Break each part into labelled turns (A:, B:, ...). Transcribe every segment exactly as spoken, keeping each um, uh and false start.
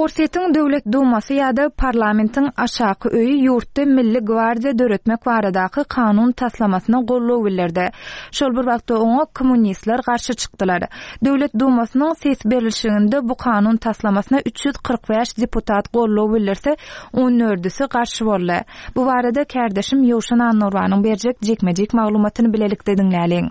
A: Orsýetiň Döwlet Dumasy ýa-da parlamentiň aşaky öýi ýurtda Milli gwardiýa döretmek baradaky kanun taslamasyna goldaw bildirdi. Şol bir wagtda oňa kommunistler garşy çykdylar. Döwlet Dumasynyň ses berilişiginde bu kanun taslamasyna üç ýüz kyrk bäş deputat goldaw bildirse, on dördüsi garşy boldy. Bu barada kärdeşim Ýowşan Annurbanyň berjek jikme-jik maglumatyny bilelikde diňläliň.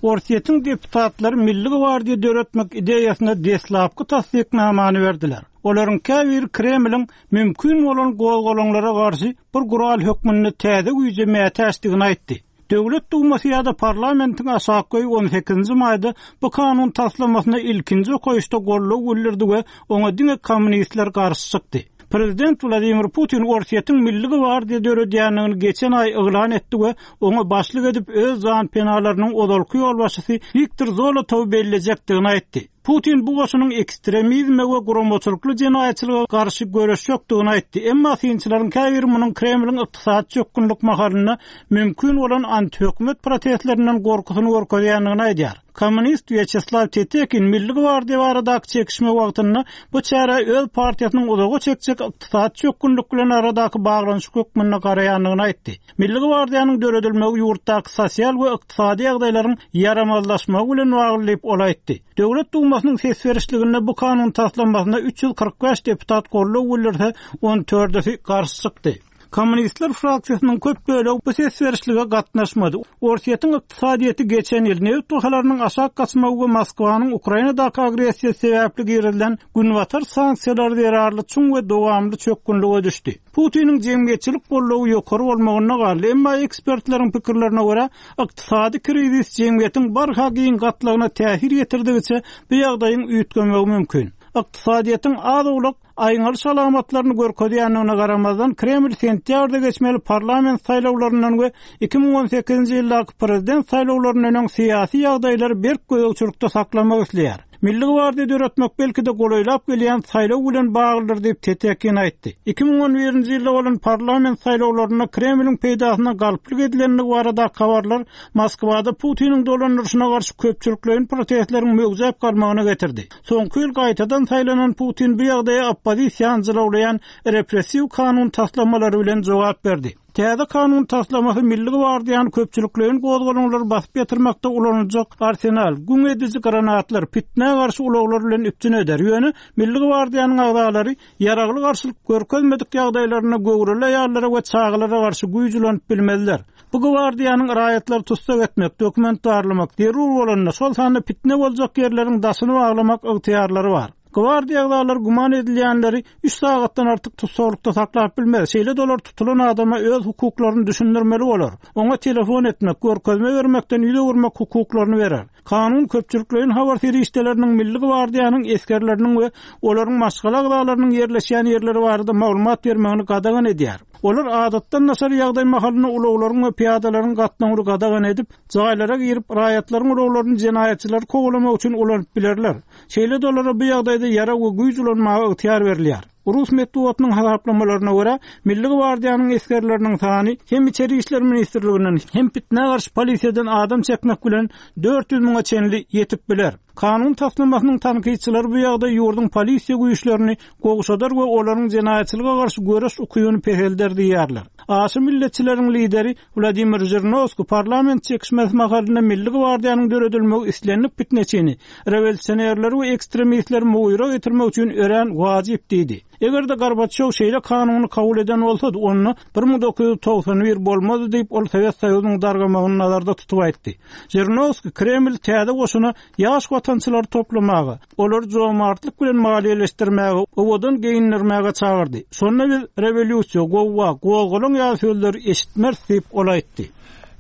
B: Orsýetiň deputatlary Milli gwardiýa döretmek ideýasyna deslapky tassyknamany berdiler. Olaryň käbiri Kremliň mümkin bolan gozgalaňlara garşy bir gural hökmünde täze güýje mätäçdigini aýtdy. Döwlet Dumasy ýa-da parlamentiň aşaky öýi on sekizinji maýda bu kanun taslamasyna ilkinji okaýyşda goldaw bildirdi we oňa diňe kommunistler garşy çykdy. Prezident Wladimir Putin Orsýetiň Milli gwardiýa döredýändigini geçen aý yglan etdi we oňa başlyk edip öz janpenalarynyň ozalky ýolbaşçysy Wiktor Zolotowy bellejekdigini aýtdy. Putin bu goşunyň ekstremizme we guramaçylykly jenaýatçylyga garşy göreşjekdigini aýtdy. Emma synçylaryň käbiri munuň Kremliň ykdysady çökgünlik mahalynda mümkin bolan antihökümet protestlerinden gorkusyny görkezýändigini aýdýar. Kommunist Wýaçeslaw Tetekin Milli gwardiýa baradaky çekişme wagtynda bu çärä öz partiýasynyň uzaga çekjek ykdysady çökgünlik bilen aradaky baglanyşyk hökmünde garaýandygyny aýtdy. Milli gwardiýanyň döredilmegi ýurtdaky sosial we ykdysady ýagdaýlaryň ýaramazlaşmagy bilen bagly diýip ol aýtdy. Döwlet Dumasynyň ses berişliginde bu kanun taslamasyna üç ýüz kyrk bäş deputat goldaw bildirse, on dördüsi garşy çykdy. Kommunistler fraksiýasynyň köp bölegi bu ses berişlige gatnaşmady. Orsýetiň ykdysadyýeti geçen ýyl neft bahalarynyň aşak gaçmagy we Moskwanyň Ukrainadaky agressiýasy sebäpli girizilen günbatar sanksiýalary zerarly çuň we dowamly çökgünlige düşdi. Putiniň jemgyýetçilik goldawy ýokary bolmagynda galdy, emma ekspertleriň pikirlerine görä, ykdysady krizis jemgyýetiň barha giň gatlagyna täsir ýetirdigiçe bu ýagdaýyň üýtgemegi mümkin. Ykdysadyýetiň az-owlak aýňalyş alamatlaryny görkezýändigine garamazdan Kreml sentýabrda geçmeli parlament saýlawlaryndan we iki müň on sekizinji ýyldaky prezident saýlawlaryndan öň syýasy ýagdaýlary berk gözegçilikde saklamak isleýär. Milli gwardiýa döretmek belki-de golaýlap gelýän saýlaw bilen baglydyr diýip Tetekin aýtdy. Iki müň on birinji ýylda bolan parlament saýlawlarynda Kremliň peýdasyna galplyk edilendigi baradaky habarlar Moskwada Putiniň dolandyryşyna garşy köpçülikleýin protestleriň möwjäp galmagyna getirdi. Soňky ýyl gaýtadan saýlanan Putin bu ýagdaýa oppozisiýany jylawlaýan repressiw kanun taslamalary bilen jogap berdi. Täze kanun taslamasy Milli gwardiýanyň köpçülikleýin gozgalaňlary basyp ýatyrmakda ulanyljak arsenal, güň ediji granatlar, pitnä garşy ulaglar bilen üpjün eder. Ýöne Milli gwardiýanyň agzalary ýaragly garşylyk görkezmedik ýagdaýlarynda göwreli aýallara we çagalara garşy güýç ulanyp bilmezler. Bu gwardiýanyň raýatlary tussag etmek, dokument barlamak, zerur bolanda şol sanda pitne boljak ýerleriň daşyny baglamak ygtyýarlary bar. Gwardiýa agzalary güman edilýänleri üç sagatdan artyk tussaglykda saklap bilmez. Şeýle dolar tutulan adama öz hukuklaryny düşündirmeli bolar. Oňa telefon etmek, görkezme bermekden ýüz öwürmek hukuklaryny berer. Kanun köpçülikleýin habar serişdeleriniň Milli gwardiýanyň esgerleriniň we olaryň maşgala agzalarynyň ýerleşýän ýerleri barada maglumat bermegini gadagan edýär. Olar adatdan daşary ýagdaý mahalynda ulaglaryň we piýadalaryň gatnawyny gadagan edip, jaýlara girip, raýatlaryň ulaglaryny jenaýatçylary kowalamak üçin ulanyp bilerler. Şeýle dolara bu ýagdaýda ýarag we güýç ulanmaga ygtyýar berilýär. Rus metbugatynyň hasaplamalaryna görä, Milli gwardiýanyň esgerleriniň sany hem İçeri İşler Ministrliginden, hem pitnä garşy polisiýadan adam çekmek bilen dört ýüz müňe çenli ýetip biler. Kanun taslamasynyň tankytçylary bu ýagdaý ýurduň polisiýa güýçlerini gowşadar we olaryň jenaýatçylyga garşy göreş ukybyny peselder diýýärler. Aşy milletçileriň lideri Wladimir Žirinovskiý parlament çekişmesi mahalynda Milli gwardiýanyň döredilmegi islendik pitneçini, rewolýusionerleri we ekstremistleri mugyra getirmek üçin örän wajyp diýdi. Eger-de Gorbaçýow şeýle kanuny kabul eden bolsady, onda bir müň dokuz ýüz togsan bir bolmazdy diýip, ol Sowet Soýuzynyň dargamagyny nazarda tutup aýtdy. Žirinovskiý Kreml täze goşuna ýaş watançylary toplamaga, olary jomartlyk bilen maliýeleşdirmäge, owadan geýindirmäge çagyrdy. Şonda biz rewolýusiýa, gowga, gozgalaň ýaly sözleri eşitmeris diýip, ol aýtdy.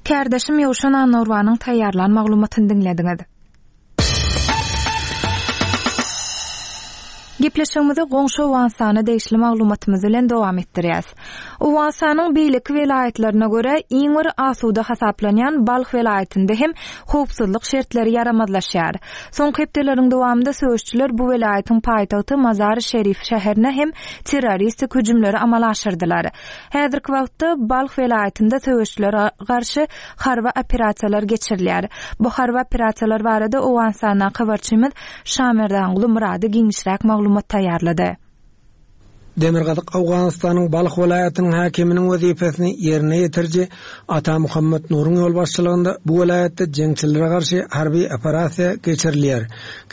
A: Kärdeşim Ýowşan Annurbanyň taýýarlan maglumatyny diňlediňiz. Gepleşigimizi goňşy Owganystana degişli maglumatymyz bilen dowam etdirýäs. Owganystanyň beýleki welaýatlaryna görä iň bir asuda hasaplanýan Balh welaýatynda hem howpsuzlyk şertleri ýaramazlaşýar. Soňky hepdeleriň dowamynda söweşçiler bu welaýatyň paýtagty Mazar-y Şerif şäherine hem terroristik hüjümleri amala aşyrdylar. Häzirki wagtda Balh welaýatynda söweşçilere garşy harby operasiýalar geçirilýär. Bu harby operasiýalar barada Owganystanyň habarçymyz Şamerdanguly Murady giňişräk maglumat taýýarlady.
C: Demirgazyk Owganystanyň Balh welaýatynyň häkiminiň wezipesini ýerine ýetiriji Ata Muhammed Nuruň ýolbaşçylygynda bu welaýatda jeňçilere garşy harby operasiýa geçirilýär.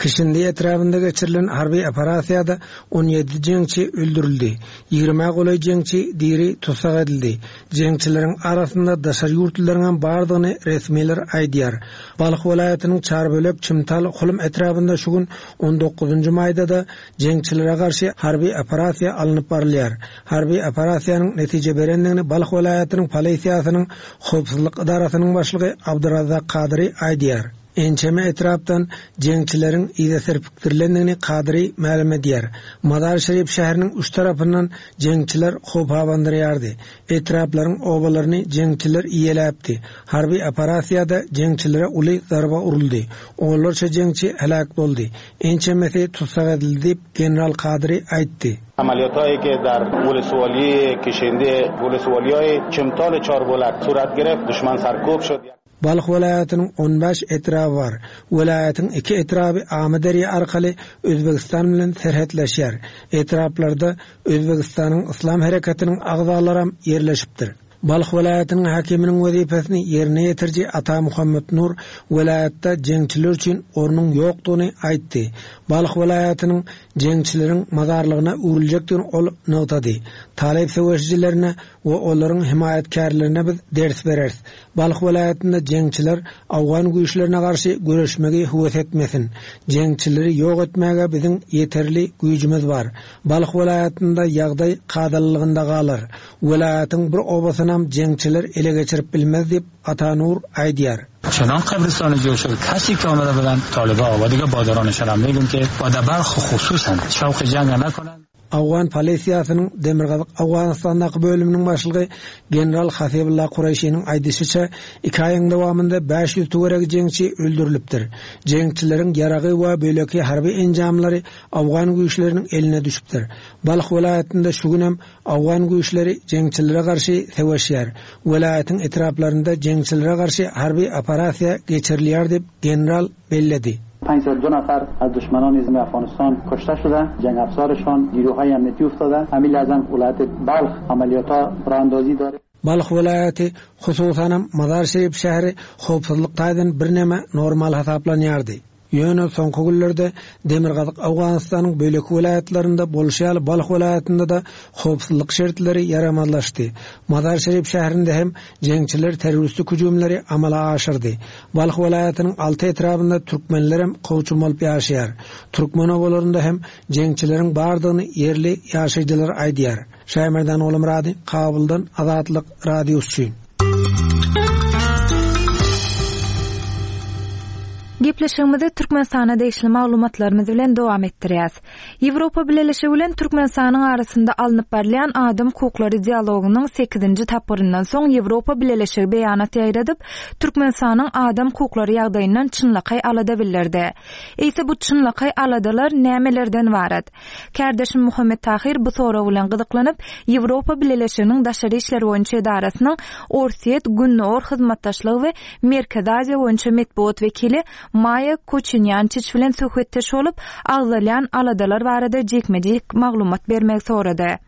C: Kişindi etrabynda geçirilen harby operasiýada on ýedi jeňçi öldürildi. Ýigrimä golaý jeňçi diri tussag edildi. Jeňçileriň arasynda daşary ýurtlylaryň hem bardygyny resmiler aýdýar. Balh welaýatynyň Çarbölek Çimtal Hulum etrabynda şu gün on dokuzynjy maýda da jeňçilere garşy harby operasiýa alnyp barylýar. Harby operasiýanyň netije berendigini Balh welaýatynyň polisiýasynyň howpsuzlyk idarasynyň başlygy Abdyrazak Kadyry aýdýar. Ençeme etrapdan jeňçileriň yza serpikdirilendigini Kadyry mälim edýär. Mazar Şerif şäheriniň üç tarapyndan jeňçiler howp abandyrýardy. Etraplaryň obalaryny jeňçiler iýeläpdi. Harby operasiýada jeňçilere uly zarba uruldy. Onlarça jeňçi helak boldy. Ençemesi tussag edildi diýip General Kadyry aýtdy.
D: عملیات‌هایی که در ولسوالی کشنده ولسوالی‌های چمتال چاربولک صورت گرفت دشمن سرکوب شد.
C: Balh welaýatynyň on bäş etraby bar. Welaýatyň iki etraby Amyderýa arkaly Özbegistan bilen serhetleşýär. Etraplarda Özbegistanyň Islam hereketiniň agzalary ýerleşipdir. Balh welaýatynyň häkiminiň wezipesini ýerine ýetiriji Ata Muhammed Nur welaýatda jeňçiler üçin ornuň ýokdugyny aýtdy. Balh welaýatynyň jeňçileriň mazarlygyna öwrüljekdigini ol nygtady. Talyp söweşijilerine we olaryň himaýatkärlerine biz ders bereris. Balh welaýatynda jeňçiler Awgan güýçlerine garşy göreşmegi höwes etmesin. Jeňçileri ýok etmäge biziň ýeterli güýjümiz bar. Balh welaýatynda ýagdaý kadalylygynda galar. Welaýatyň bir obasyna jeňçiler ele geçirip bilmez diýip Ata Nur aýdýar.
E: چنان قبرستان جور شد کسی که آمده بودن طالبا و دیگه بادرانشان هم میگن که با در بلخ خصوصا شوق جنگ نکنن.
C: Awgan polisiýasynyň Demirgazyk Awganistandaky bölüminiň başlygy General Hasibullah Kureyşiniň aýdyşyça iki aýyň dowamynda bäş ýüz töweregi jeňçi öldürilipdir. Jeňçileriň ýaragy we böleki harby enjamlary Awgan güýçleriniň eline düşüpdir. Balh welaýatynda şu gün hem Awgan güýçleri jeňçilere garşy söweşýär. Welaýatyň etraplarynda jeňçilere garşy harby operasiýa geçirilýär diýip general belledi.
F: پنجصد دو نفر از دشمنان نظام افغانستان کشته شده، جنگ افزارشان نیروهای امنیتی افتاده. همین لحظه ولایت بلخ عملیات‌ها راه اندازی داره.
C: Balh welaýaty hususanam Mazar Şerif şäheri howpsuzlyk taýdan birneme normal hasaplanýardy. Ýöne soňky günlerde Demirgazyk Awganystanyň bölek welaýatlarynda bolşy ýaly Balh welaýatynda da howpsuzlyk şertleri ýaramazlaşdy. Mazar Şerif şäherinde hem jeňçiler terroristik hüjümleri amala aşyrdy. Balh welaýatynyň alty etrabynda türkmenler hem kowçum bolup ýaşaýar. Türkmen obalarynda hem jeňçileriň bardygyny ýerli ýaşaýjylar aýdýar. Şaýmerdan Oğulmurady, Kabuldan Azatlyk Radiosy üçin.
A: Gepleşigimizi Türkmenistana degişli maglumatlarymyz bilen dowam etdirýäs. Ýewropa Bileleşigi bilen Türkmenistanyň arasynda alnyp barylýan adam hukuklary dialogynyň sekizinji tapgyryndan soň Ýewropa Bileleşigi beýanat ýaýradyp, Türkmenistanyň adam hukuklary ýagdaýyndan çynlakaý alada bildirdi. Eýse bu çynlakaý aladalar nämelerden ibarat? Kärdeşim Muhammed Tahir bu sorag bilen gyzyklanyp, Ýewropa Bileleşiginiň daşary işler boýunça edarasynyň Orsýet Gündogar hyzmatdaşlygy we Merkezi Aziýa boýunça metbugat wekili Maýa Koçinýançiç bilen söhbetdeş bolup, agzalýan aladalar barada jikme-jik maglumat bermegi sorady.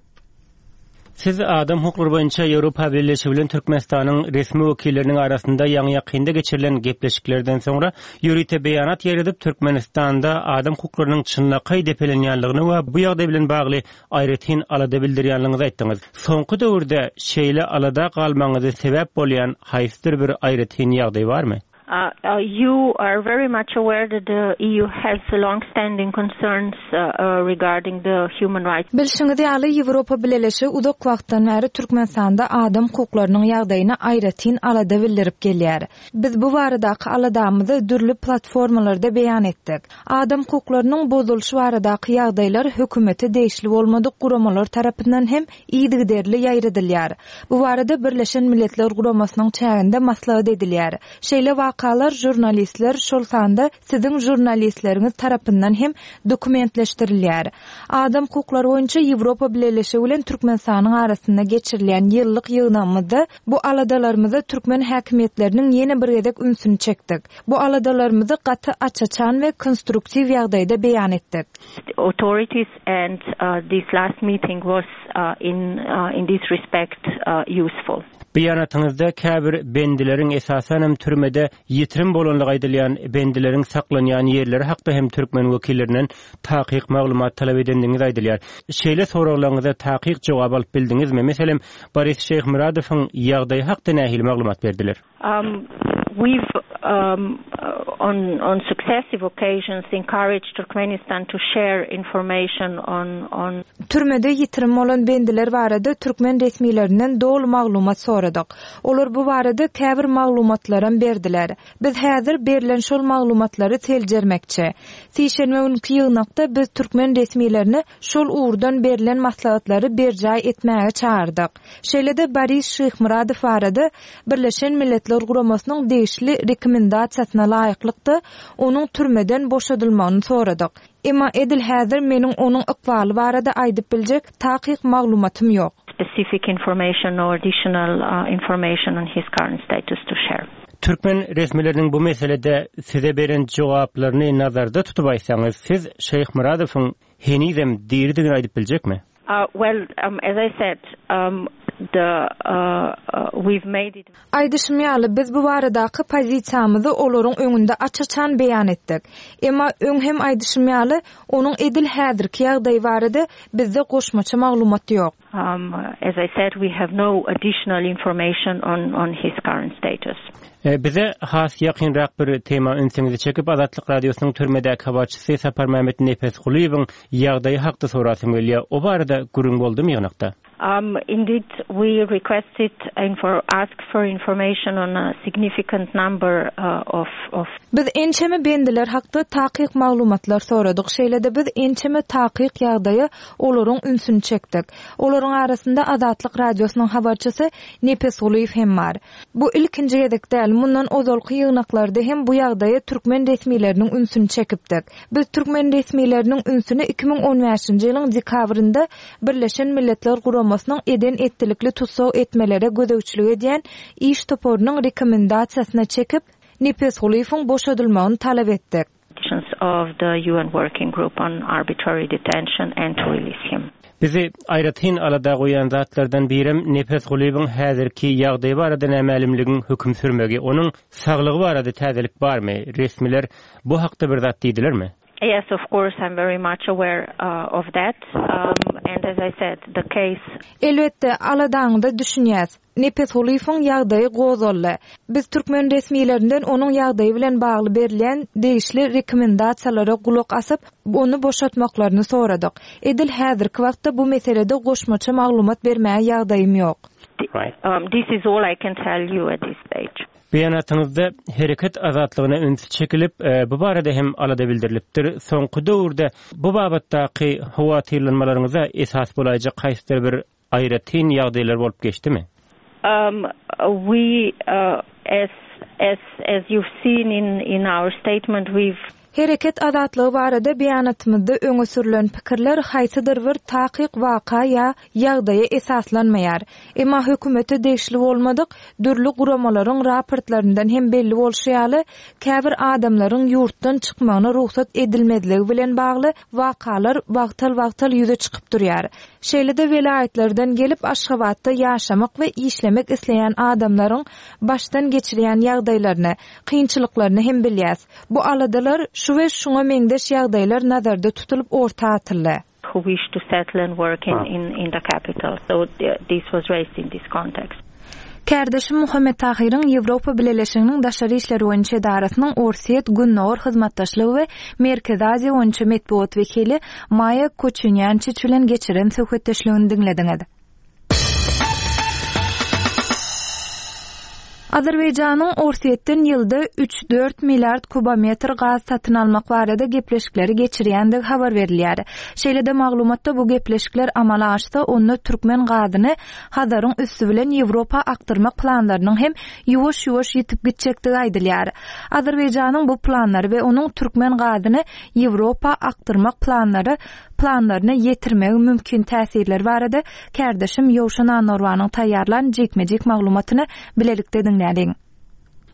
G: Siz adam hukuklary boýunça Ýewropa Bileleşigi bilen Türkmenistanyň resmi wekilleriniň arasynda ýaňy ýakynda geçirilen gepleşiklerden soňra ýörite beýanat ýaýradyp, Türkmenistanda adam hukuklarynyň çynlakaý depelenýänligini we bu ýagdaý bilen bagly aýratyn alada bildirýänligiňizi aýtdyňyz. Soňky döwürde şeýle alada galmaňyzy sebäp bolýan haýsydyr bir aýratyn ýagdaý barmy?
H: Uh, uh, you are very much aware that the E U has long-standing concerns, uh, uh, regarding the human rights.
A: Bilşiňiz ýaly, Ýewropa Bileleşigi uzak wagtdan bäri Türkmenistanda adam hukuklarynyň ýagdaýyna aýratyn alada bildirip gelýär. Biz bu baradaky aladamyzy dürli platformalarda beýan etdik. Adam hukuklarynyň bozulyşy baradaky ýagdaýlar hökümete degişli bolmadyk guramalar tarapyndan hem yzygiderli ýaýradylýar. Bu barada Birleşen Milletler Guramasynyň çäginde maslahat edilýär. Şeýle wakalar žurnalistler, şol sanda siziň žurnalistleriňiz tarapyndan hem dokumentleşdirilýär. Adam hukuklary boýunça Ýewropa Bileleşigi bilen Türkmenistanyň arasynda geçirilýän ýyllyk ýygnagymyzda bu aladalarymyza türkmen häkimiýetleriniň ýene bir gezek ünsüni çekdik. Bu aladalarymyzy gaty aç-açan we konstruktiw ýagdaýda beýan etdik.
H: Authorities and uh, this last meeting was uh, in uh, in this respect uh, useful.
G: Beýanatyňyzda käbir bendileriň esasanam türmede ýitirim bolanlygy aýdylýan bendileriň saklanýan ýerleri hakda hem türkmen wekillerinden takyk maglumat talap edendigiňiz aýdylýar. Şeýle soraglaryňyza takyk jogap alyp bildiňizmi? Meselem, Boris Şeýhmyradowyň ýagdaýy hakda nähili maglumat berdiler?
H: Um, we've um, uh, on on successive occasions encouraged Turkmenistan to share information on on
A: Türmede ýitirim bolan bendiler barada türkmen resmilerinden doly maglumat soradyk. Olar bu barada käbir maglumatlaram berdiler. Biz häzir berilen şol maglumatlary seljermekçi. Sişenbe günki ýygnakda biz türkmen resmilerini şol ugurdan berilen maslahatlary berjaý etmäge çagyrdyk. Şeýle-de Boris Şeýhmyradow barada Birleşen Milletler Guramasynyň degişli rekomendasiýasyna laýyklykda onuň türmeden boşadylmagyny soradyk. Emma edil häzir meniň onuň ykbaly barada aýdyp biljek takyk maglumatym ýok.
H: specific information or additional uh, information on his current status to share.
G: Türkmen resmileriniň bu meselede size beren jogaplaryny nazarda tutup aýtsaňyz, siz Şeýhmyradowyň henizem diridigini aýdyp biljekmi?
H: Uh, well, um, as I said, um, the uh, uh, we've made it
A: Aýdyşym ýaly biz bu baradaky pozisiýamyzy olaryň öňünde aç-açan beýan etdik. Emma öň hem aýdyşym ýaly onuň edil häzirki ýagdaýy barada bizde goşmaça maglumat ýok.
H: Um, as I said, we have no additional information on, on his current status.
G: E, bize has ýakynrak bir tema ünsüňizi çekip Azatlyk Radiosynyň türmedäki habarçysy Saparmämmet Nepesgulyýewiň ýagdaýy hakda sorasym gelýär. O barada gürrüň boldumy ýygnakda?
H: Um, indeed, we requested and for asked for information on a significant number uh, of of
A: Biz ençeme bendiler hakda takyk maglumatlar soradyk. Şeýle-de biz ençeme takyk ýagdaýa olaryň ünsüni çekdik. Olaryň arasynda Azatlyk Radiosynyň habarçysy Nepesgulyýew hem bar. Bu ilkinji gezek däl, mundan ozalky ýygnaklarda hem bu ýagdaýa türkmen resmileriniň ünsüni çekipdik. Biz türkmen resmileriniň ünsüni iki müň on bäşinji ýylyň dekabrynda Birleşen Milletler Guramasynyň eden etdilikli tussag etmelere gözegçilik edýän iş toparynyň rekomendasiýasyna çekip, Nepesgulyýewiň boşadylmagyny talap etdik.
H: of the U N Working Group on Arbitrary Detention and to release him.
G: Bizi aýratyn alada goýan zatlardan birem Nepesgulyýewiň häzirki ýagdaýy barada nämälimligiň höküm sürmegi, onuň saglygy barada täzelik barmy? Resmiler bu hakda bir zat diýdilermi?
H: Yes, of course, I'm very much aware, uh, of that. Um, and as I said, the case
A: Elbetde, aladaňda düşünýäs. Nepesgulyýewiň ýagdaýy gozgaldy. Biz türkmen resmilerinden onuň ýagdaýy bilen bagly berilýän degişli rekomendasiýalara gulak asyp, ony boşatmaklaryny soradyk. Edil häzirki wagtda bu meselede goşmaça maglumat bermäge ýagdaýym ýok.
G: Right.
H: Um, this is all I can tell you at this stage.
G: Beýanatyňyzda hereket azatlygyna üns çekilip, e, bu barada hem alada bildirilipdir. Soňky döwürde bu babatdaky howatyrlanmalaryňyza esas bolaýjak haýsydyr bir aýratyn ýagdaýlar bolup geçdimi?
H: Um, we, uh, as, as, as you've seen in, in our statement, we've
A: Hereket azatlygy barada beýanatymyzda öňe sürülen pikirler haýsydyr bir takyk waka ýa ýagdaýa esaslanmaýar. Emma hökümete degişli bolmadyk dürli guramalaryň raportlaryndan hem belli bolşy ýaly, käbir adamlaryň ýurtdan çykmagyna rugsat edilmezligi bilen bagly wakalar wagtal-wagtal ýüze çykyp durýar. Şeýle-de welaýatlardan gelip Aşgabatda ýaşamak we işlemek isleýän adamlaryň başdan geçirýän ýagdaýlaryny, kynçylyklaryny hem bilýäs. Bu aladalar şu we şuňa meňzeş ýagdaýlar nazarda tutulyp orta atyldy.
H: Who wish to settle and work in,
G: Ha.
H: in, in the capital. So th-, this was raised in this context.
A: Kärdeşim Muhammet Tahyryň Ýewropa Bileleşiginiň Daşary Işler boýunça edarasynyň Orsiýet Gündogar hyzmatdaşlygy we Merkezi Aziýa boýunça metbugat wekili Maýa Koçunýançiç bilen geçiren söhbetdeşligini diňlediňiz. Azerbaýjanyň Orsýetden ýylda üç-dört milliard kubometr gaz satyn almak barada gepleşikleri geçirýändigi habar berilýär. Şeýle-de maglumatda bu gepleşikler amala aşsa, onda türkmen gazyny Hazaryň üsti bilen Ýewropa akdyrmak planlarynyň hem ýuwaş-ýuwaş ýitip gitjekdigi aýdylýar. Azerbaýjanyň bu planlary we onuň türkmen gazyny Ýewropa akdyrmak planlary planlaryna ýetirmegi mümkin täsirleri barada kärdeşim Ýowşan Annorbanyň taýýarlan jikme-jik maglumatyny bilelikde diňläliň.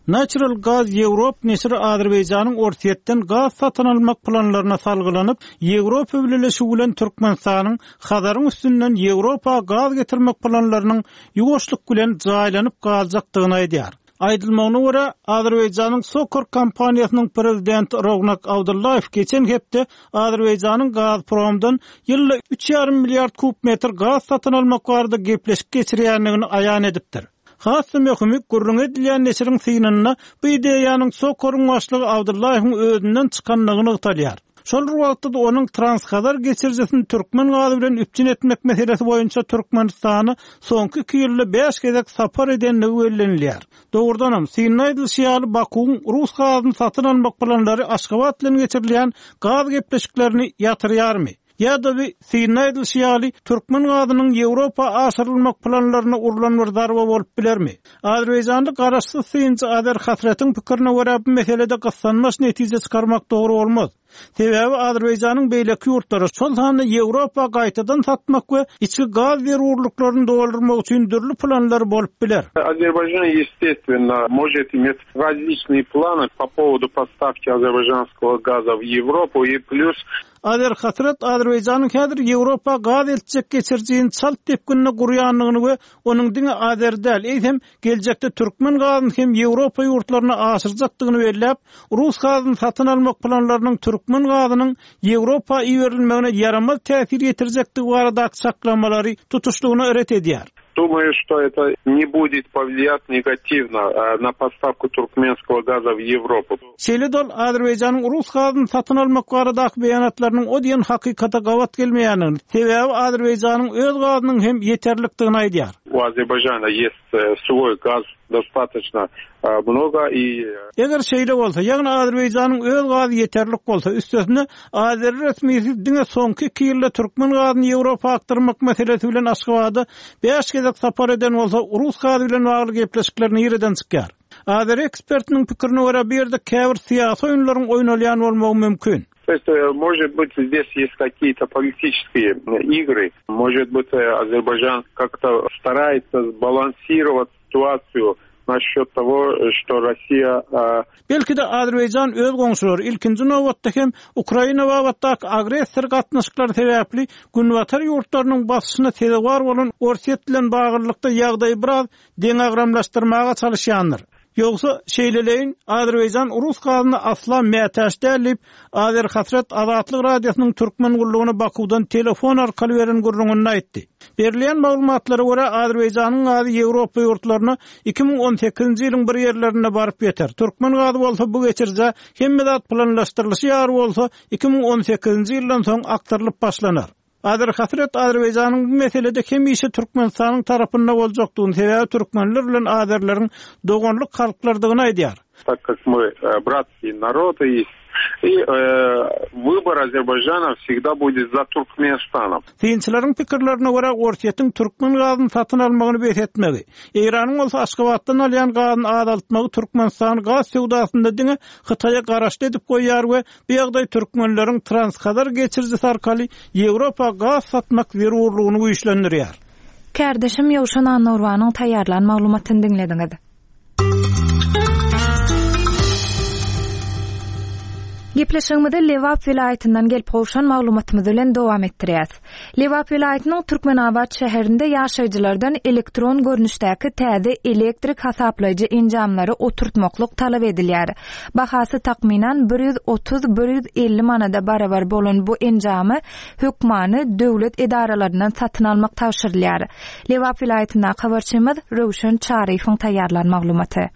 B: Natural Gaz Europe neşiri Azerbaýjanyň Orsýetden gaz satyn almak planlaryna salgylanyp, Ýewropa Bileleşigi bilen Türkmenistanyň Hazaryň üstünden Ýewropa gaz getirmek planlarynyň ýuwaşlyk bilen jaýlanyp galjakdygyny aýdýar. Aýdylmagyna görä, Azerbaýjanyň SOCAR kompaniýasynyň prezidenti Rognak Abdullaýew geçen hepde Azerbaýjanyň Gazpromdan ýylda üç ýarym milliard kub metr gaz satyn almak barada gepleşik geçirýändigini aýan edipdir. Has möhümi gürrüň edilýän neşiriň synynda bu ideýanyň SOCAR-yň başlygy Abdullaýewiň özünden çykandygy nygtalýar. Şol bir wagtda onuň Transhazar geçirijisini türkmen gazy bilen üpjün etmek meselesi boýunça Türkmenistany soňky iki ýylda bäş gezek sapar edendigi bellenilýär. Dogrudanam, synda aýdylyşy ýaly Bakuwyň rus gazyny satyn almak planlary Aşgabat bilen geçirilýän gaz gepleşiklerini ýatyrýarmy? Ýa-da bir synda aýdylyşy ýaly türkmen gazynyň Ýewropa aşyrylmak planlaryna urlan bir zarba bolup bilermi? Azerbaýjanly garaşsyz synçy Azer Hasretiň pikirine görä bu meselede gyssanmaç netije çykarmak dogry bolmaz. Sebäbi Azerbaýjanyň beýleki ýurtlary, şol sanda Ýewropa gaýtadan satmak we içki gaz zerurlyklaryny doldurmak üçin dürli planlar bolup biler.
I: Azerbaycan естественно может иметь различные планы по поводу поставки азербайджанского газа в Европу и плюс
B: Azer Hasret Azerbaýjanyň häzir Ýewropa gaz eltjek geçirijini çalt depginde gurýandygyny we onuň diňe Azer däl, eýsem geljekde türkmen gazyny hem Ýewropa ýurtlaryna aşyrjakdygyny belläp, rus gazyny satyn almak planlarynyň türkmen gazynyň Ýewropa iberilmegine ýaramaz täsir ýetirjekdigi baradaky çaklamalary tutuşlygyna ret edýär.
I: Думаю, что это не будет повлиять негативно на поставку туркменского газа в Европу.
B: Şeýle dol Azerbaýjanyň rus gazyny satyn almak baradaky beýanatlarynyň o diýen hakykata gabat gelmeýändigini, sebäbi Azerbaýjanyň öz gazynyň hem ýeterlikdigini aýdýar.
I: У Азербайджана есть свой газ достаточно много и
B: Eger şeýle bolsa, ýagny Azerbaýjanyň öz gazy ýeterlik bolsa, üstesine Azer resmisi diňe soňky iki ýylda türkmen gazyny Ýewropa akdyrmak meselesi bilen Aşgabada bäş gezek sapar eden bolsa, rus gazy bilen bagly gepleşikler nireden çykýar? Azer ekspertiniň pikirine görä bu ýerde käbir syýasy oýunlaryň oýnalýan bolmagy mümkin.
I: То есть, может быть, здесь есть какие-то политические игры. Может быть, Азербайджан как-то старается сбалансировать ситуацию насчет того, что Россия...
B: Belki-de Azerbaýjan öz goňşulary ilkinji nobatda hem Ukraina babatdaky agressor gatnaşyklary sebäpli Günbatar ýurtlarynyň basyşyna sezewar bolan Orsýet bilen baglylykda ýagdaýy biraz deňagramlaşdyrmaga çalışýandyr. Ýogsa şeýleleýin Azerbaýjan rus gazyna asla mätäç däl diýip, Azer Hasret Azatlyk Radiosynyň türkmen gullugyna Bakuwdan telefon arkaly beren gürrüňini aýtdy. Berilýän maglumatlara görä Azerbaýjanyň gazy Ýewropa ýurtlaryna iki müň on sekizinji ýylyň bir ýerlerinde baryp ýeter. Türkmen gazy bolsa bu geçirije hemme zat planlaşdyrylyşy ýaly bolsa iki müň on sekizinji ýyldan soň akdyrylyp başlanar. Azer Hasret Azerbaýjanyň bu meselede hemişe Türkmenistanyň tarapynda boljakdygyny, sebäbi türkmenler bilen azerleriň doganlyk halklardygyny aýdýar.
I: Так как мы братские народы и, э, выбор Азербайджана всегда будет за Туркменистаном.
B: Synçylaryň pikirlerine görä Orsýetiň türkmen gazyny satyn almagyny bes etmegi, Eýranyň bolsa Aşgabatdan alýan gazyny azaltmagy Türkmenistan gaz söwdasynda diňe Hytaýa garaşly edip goýýar we bu ýagdaý türkmenleriň Transhazar geçirijisi arkaly Ýewropa gaz satmak zerurlygyny güýçlendirýär.
A: Kärdeşim Ýowşan Annorbanyň taýýarlan maglumatyny diňlediňiz. Gepleşigimizi Lebap welaýatyndan gelip gowşan maglumatymyz bilen dowam etdirýäs. Lebap welaýatynyň Türkmenabat şäherinde ýaşaýjylardan elektron görnüşdäki täze elektrik hasaplaýjy enjamlary oturtmaklyk talap edilýär. Bahasy takmynan bir ýüz otuz bir ýüz elli manada barabar bolan bu enjamy hökmany döwlet edaralaryndan satyn almak tabşyrylýar. Lebap welaýatyndaky habarçymyz Röwşen Çaryýewiň taýýarlan maglumaty.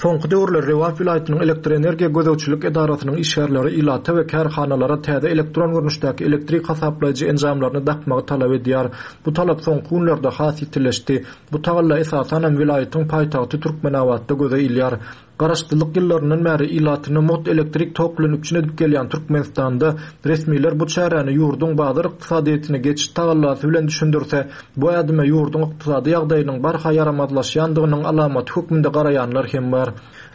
J: Soňky döwürler Lebap welaýatynyň elektroenergiýa gözegçilik edarasynyň işgärleri ilata we kärhanalara täze elektron görnüşdäki elektrik hasaplaýjy enjamlaryny dakmagy talap edýär. Bu talap soňky günlerde has ýitileşdi. Bu tagalla esasanam welaýatyň paýtagty Türkmenabatda göze ilýär. Garaşsyzlyk ýyllaryndan bäri ilatyny mugt elektrik tok bilen üpjün edip gelýän Türkmenistanda resmiler bu çäräni ýurduň bazar ykdysadyýetine geçiş tagallasy bilen düşündirse, bu ädime ýurduň ykdysady ýagdaýynyň barha ýaramazlaşýandygynyň alamaty hökmünde garaýanlar hem bar.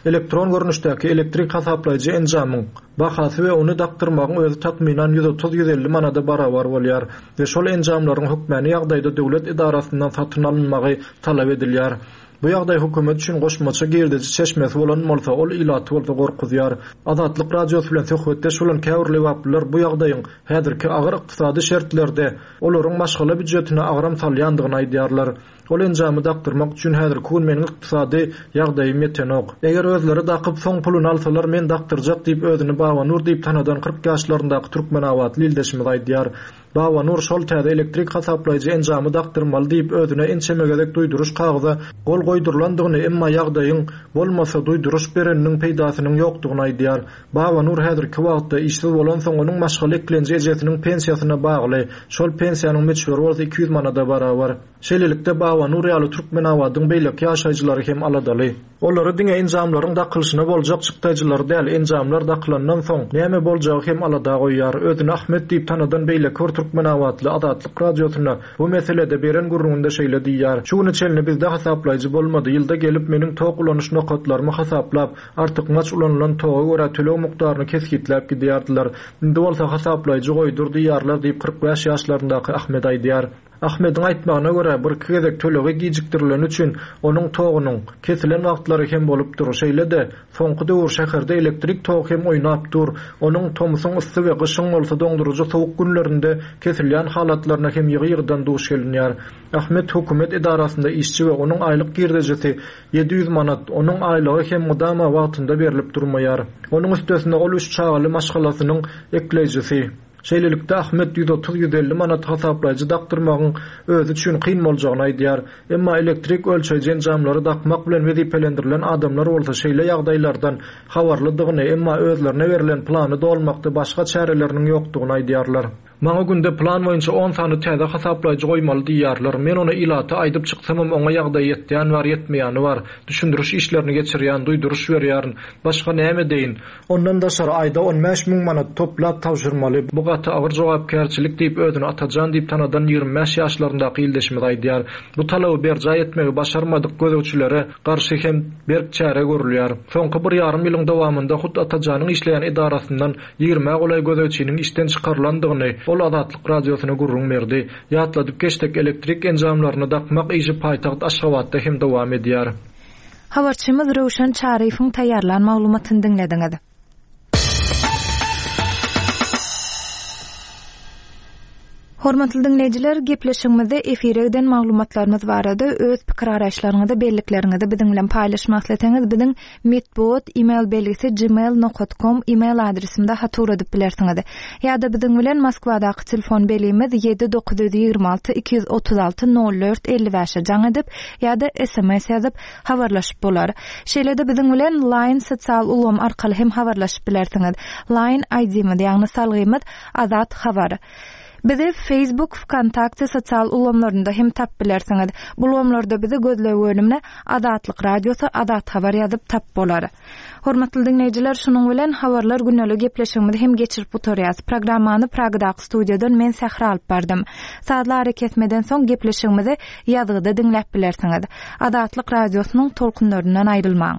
J: Elektron görnüşdäki elektrik hasaplaýjy enjamyň bahasy we ony dakdyrmagyň özi takmynan ýüz otuz ýüz elli manada barabar bolýar we şol enjamlaryň hökmäni ýagdaýda döwlet edarasyndan satyn alynmagy talap edilýär. Bu ýagdaý hökümet üçin goşmaça girdeji çeşmesi bolan bolsa, ol ilaty bolsa gorkuzýar. Azatlyk Radiosy bilen söhbetdeş bolan käbir lebaplylar bu ýagdaýyň häzirki agyr ykdysady şertlerde olaryň maşgala býujetine agram salýandygyny aýdýarlar. Ol enjamy dakdyrmak üçin häzirki gün meniň ykdysady ýagdaýym ýetenok. Eger özleri dakyp soň puluny alsalar men dakdyrjak diýip özüni Babanur diýip tanadan kyrk ýaşlaryndaky Türkmenabatly ildeşimiz aýdýar. Babanur şol täze elektrik hasaplaýjy enjamy dakdyrmaly diýip özüne ençeme gezek duýduryş kagyza gol goýdurylandygyny, emma ýagdaýyň bolmasa duýduryş bereniniň peýdasynyň ýokdugyny aýdýar. Babanur häzirki wagtda işsiz bolansoň onuň maşgala eklenji ejesiniň pensiýasyna bagly. Şol pensiýanyň möçberi bolsa iki ýüz manada barabar. Şeýlelikde Babanur ýaly Türkmenabadyň beýleki ýaşaýjylary hem aladaly. Olary diňe enjamlaryň dakylyşyna boljak çykdaýjylary däl, enjamlar dakylandan soň näme boljagy hem alada goýýar. Özüni Ahmet diýip tanadan beýleki bir Türkmenabatly Azatlyk Radiosyna bu meselede beren gürrüňinde şeýle diýýär. Şu güne çenli bizde hasaplaýjy bolmady. Ýylda gelip meniň tok ulanyş nokatlarymy hasaplap, artykmaç ulanylan toga görä töleg mukdaryny kesgitläp gidýärdiler. Indi bolsa hasaplaýjy goýdur diýýärler diýip kyrk bäş ýaşlaryndaky Ahmet aýdýar. Ahmediň aýtmagyna görä bir iki gezek tölegi gijikdirileni üçin onuň togunyň kesilen wagtlary hem bolupdyr. Şeýle-de soňky döwür şäherde elektrik togy hem oýnap dur. Onuň tomsuň yssy we gyşyň bolsa doňduryjy sowuk günlerinde kesilýän halatlaryna hem ýygy-ýygydan duş gelinýär. Ahmet hökümet edarasynda işçi we onuň aýlyk girdejisi ýedi ýüz manat, onuň aýlygy hem mydama wagtynda berlip durmaýar. Onuň üstesinde ol üç çagaly maşgalasynyň ekleýjisi. Şeýlelikde Ahmet ýüz otuz ýüz elli manat hasaplaýjy dakdyrmagyň özi üçin kyn boljagyny aýdýar. Emma elektrik ölçeýji enjamlary dakmak bilen wezipelendirilen adamlar bolsa şeýle ýagdaýlardan habarlydygyny, emma özlerine berlen plany dolmakda başga çäreleriniň ýokdugyny aýdýarlar. Maňa günde plan boýunça on sany täze hasaplaýjy goýmaly diýýärler. Men ony ilata aýdyp çyksamam oňa ýagdaý ýetýän bar, ýetmeýäni bar. Düşündiriş işlerini geçirýän, duýduryş berýärin. Başga näme deýin? Ondan daşary aýda on bäş müň manat toplap tabşyrmaly. Bu gaty agyr jogapkärçilik diýip özüni Atajan diýip tanadan ýigrimi bäş ýaşlaryndaky ildeşimiz aýdýar. Bu talaby berjaý etmegi başarmadyk gözegçilere garşy hem berk çäre görülýär. Soňky bir ýarym ýylyň dowamynda hut Atajanyň işleýän edarasyndan ýigrimä golaý gözegçiniň işden çykarylandygyny ol Azatlyk Radiosyna gürrüň berdi. Ýatladyp geçdik, elektrik enjamlaryny dakmak işi paýtagt Aşgabatda hem dowam edýär.
A: Habarçymyz Röwşen Çaryýewiň taýýarlan maglumatyny diňlediňiz. Hormatly diňleýjiler, gepleşigimizde efire giden maglumatlarymyz barada öz pikir araýyşlaryňyzy, bellikleriňizi biziň bilen paýlaşmak isleseňiz, biziň metbugat e-mail belgisi gmail nokta com e-mail adresimde hat ugradyp bilersiňiz. Ýa-da biziň bilen Moskwadaky telefon belgimiz ýedi dokuz ýüz ýigrimi alty iki ýüz otuz alty nol dört elli bäşe jaň edip ýa-da S M S ýazyp habarlaşyp bolar. Şeýle-de biziň bilen Line sosial ulgam arkaly hem habarlaşyp bilersiňiz. Line I D-miz, ýagny salgymyz Azat Habar. Bizi Facebook, Vkontakte sosial ulgamlarynda hem tap bilersiňiz. Bu ulgamlarda bizi gözleg bölümine Azatlyk Radiosy, Azat Habar ýazyp tap bolar. Hormatly diňleýjiler, şunuň bilen habarlar gündelik gepleşigimizi hem geçirip gutarýas. Programmany Pragadaky studiýadan men Sähra alyp bardym. Sazly ara kesmeden soň gepleşigimizi ýazgyda diňläp bilersiňiz. Azatlyk Radiosynyň tolkunlaryndan aýrylmaň.